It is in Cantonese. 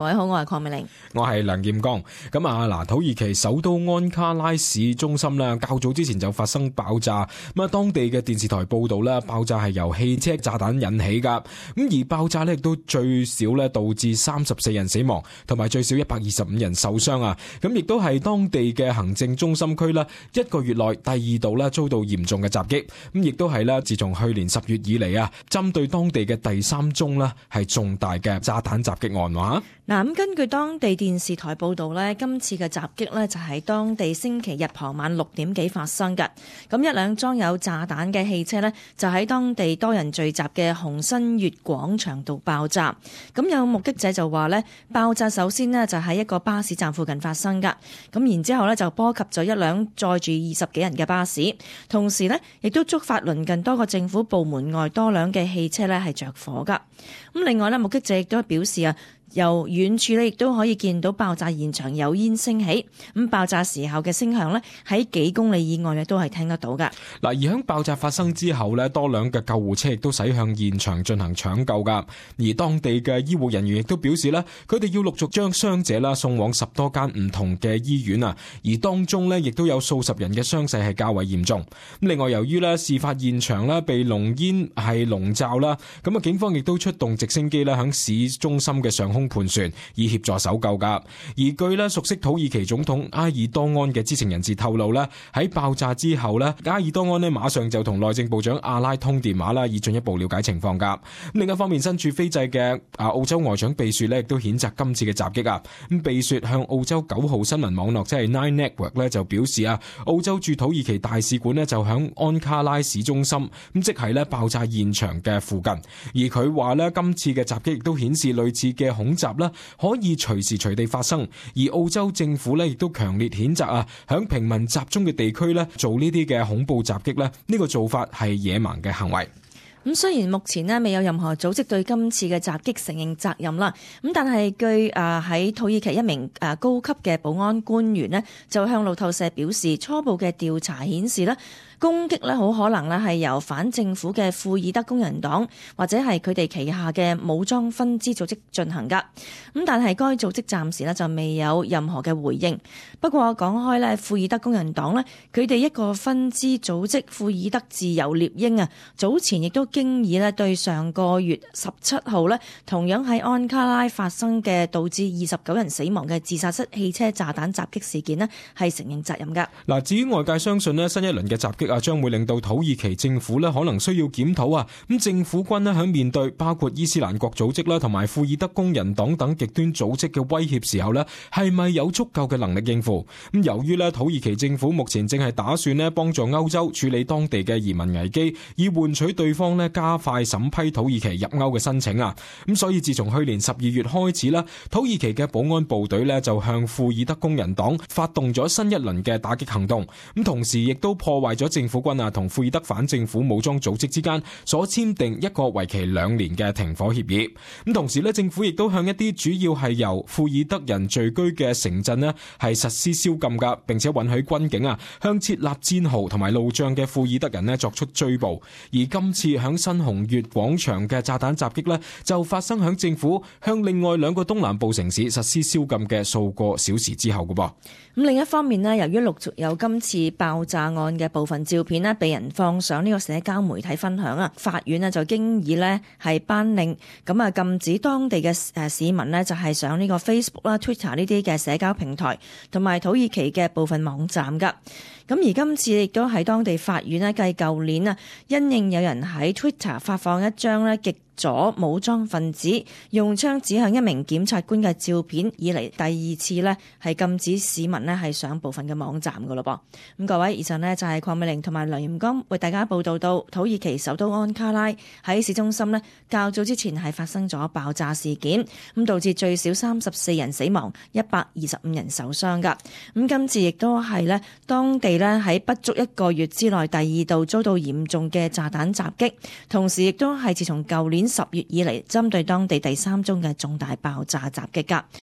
各位好，我係鄺美玲，我係梁劍剛。土耳其首都安卡拉市中心啦，較早之前就發生爆炸。當地嘅電視台報道啦，爆炸係由汽車炸彈引起噶。而爆炸呢亦都最少咧導致34人死亡，同埋最少125人受傷啊。亦都係當地嘅行政中心區啦，1個月內第2度啦遭到嚴重嘅襲擊。亦都係啦，自從去年10月以嚟啊，針對當地嘅第3宗啦係重大嘅炸彈襲擊案話。咁根據當地電視台報道呢，今次嘅襲擊呢就喺當地星期日傍晚6點幾發生嘅。一輛裝有炸彈嘅汽車呢，就喺當地多人聚集嘅紅新月廣場度爆炸。有目擊者就話呢，爆炸首先呢就喺一個巴士站附近發生噶。然之後呢就波及咗一輛載住20幾人嘅巴士，同時呢亦都觸發鄰近多個政府部門外多輛嘅汽車呢係着火噶。另外呢，目擊者亦都表示啊，由遠處咧，亦都可以見到爆炸現場有煙升起。爆炸時候嘅聲響咧，喺幾公里以外咧都係聽得到噶。而喺爆炸發生之後咧，多輛嘅救護車亦都駛向現場進行搶救噶。而當地嘅醫護人員亦都表示咧，佢哋要陸續將傷者啦送往10多間唔同嘅醫院啊。而當中咧，亦都有數十人嘅傷勢係較為嚴重。另外，由於咧事發現場咧被濃煙係籠罩啦，警方亦都出動直升機咧響市中心嘅上空盤旋，以協助搜救噶。而據咧熟悉土耳其總統埃爾多安嘅知情人士透露咧，喺爆炸之後咧，埃爾多安咧馬上就同內政部長阿拉通電話啦，以進一步了解情況噶。另一方面，身處斐濟嘅澳洲外長貝雪咧，亦都譴責今次嘅襲擊啊。貝雪向澳洲9號新聞網絡即係 Nine Network 咧就表示啊，澳洲駐土耳其大使館咧就響安卡拉市中心，即係咧爆炸現場嘅附近。而佢話咧，今次嘅襲擊亦都顯示類似嘅恐襲啦，可以隨時隨地發生。而澳洲政府咧亦都強烈譴責啊，響平民集中嘅地區咧做呢啲嘅恐怖襲擊咧，呢個做法係野蠻嘅行為。雖然目前呢未有任何組織對今次嘅襲擊承認責任啦，但係據喺土耳其一名高級嘅保安官員呢，就向路透社表示，初步嘅調查顯示呢，攻擊呢好可能呢係由反政府嘅庫爾德工人黨或者係佢哋旗下嘅武裝分支組織進行噶。但係該組織暫時呢就未有任何嘅回應。不過講開呢，庫爾德工人黨呢，佢哋一個分支組織庫爾德自由獵鷹啊，早前亦都經已咧對上個月17號咧，同樣喺安卡拉發生嘅導致29人死亡嘅自殺式汽車炸彈襲擊事件咧，係承認責任噶。至於外界相信咧，新一輪嘅襲擊啊，將會令到土耳其政府咧可能需要檢討啊。政府軍咧響面對包括伊斯蘭國組織啦，同埋庫爾德工人黨等極端組織嘅威脅時候咧，係咪有足夠嘅能力應付？由於咧土耳其政府目前正係打算咧幫助歐洲處理當地嘅移民危機，以換取對方咧加快審批土耳其入歐嘅申請啊。所以自從去年12月開始啦，土耳其嘅保安部隊咧就向庫爾德工人黨發動咗新一輪嘅打擊行動，同時亦都破壞咗政府軍啊同庫爾德反政府武裝組織之間所簽訂一個為期2年嘅停火協議。同時咧，政府亦都向一啲主要係由庫爾德人聚居嘅城鎮咧係實施宵禁噶，並且允許軍警啊向設立戰壕同埋路障嘅庫爾德人咧作出追捕。而今次響新紅月廣場嘅炸彈襲擊呢，就發生響政府向另外2個東南部城市實施宵禁嘅數個小時之後嘅噃。另一方面呢，由於陸續有今次爆炸案嘅部分照片呢被人放上呢個社交媒體分享啊，法院呢就經已呢係頒令禁止當地嘅市民呢就係上呢個 Facebook 啦、Twitter 呢啲嘅社交平台同埋土耳其嘅部分網站噶。而今次亦都喺當地法院呢，繼舊年啊，因應有人喺 Twitter 發放一張呢極左武裝分子用槍指向一名檢察官嘅照片以嚟，第2次呢係禁止市民呢係上部分嘅網站噶咯噃。各位，以上呢就係鄺美玲同埋梁炎剛為大家報道到土耳其首都安卡拉喺市中心呢較早之前係發生咗爆炸事件，導致最少34人死亡，125人受傷噶。今次亦都係呢當地呢喺不足1個月之內第2度遭到嚴重嘅炸彈襲擊，同時亦都係自從舊年10月以嚟針對當地第3宗嘅重大爆炸襲擊噶。